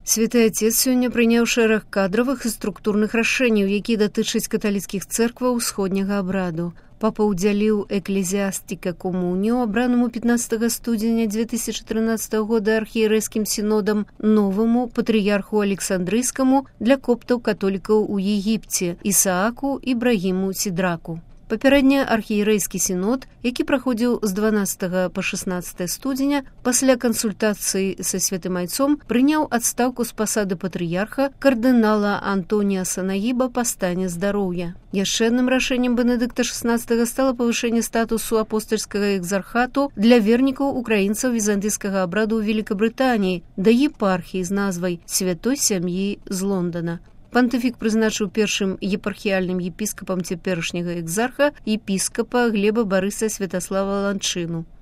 Святы Отец сёння прыняў шэраг кадравых і структурных рашэнняў, якія датычаць каталіцкіх цэркваў усходняга абраду. Папа ўдзяліў эклезіастика комунію, абранаму 15 студзеня 2013 года архіерэйскім сінодам, новаму патрыярху Александрыйскаму для коптаў-католікаў у Егіпце Ісааку Ібрагіму Сідраку. Папярэдне архіерэйскі сінод, які праходзіў з 12 па 16 студзеня, пасля кансультацыі са святым айцом прыняў адстаўку з пасады патрыярха кардынала Антоніаса Нагіба па стане здароўя. Яшчэ адным рашэннем Бенедыкта XVI стала павышэнне статусу апостальскага экзархату для вернікаў украінцаў візантыйскага абраду ў Великабрытаніі да епархіі з назвай Святой сям'і з Лондона. Пантыфік прызначыў першым епархіяльным епіскапам цяперашняга экзарха епіскапа Глеба Барыса Святаслава Ланчыну.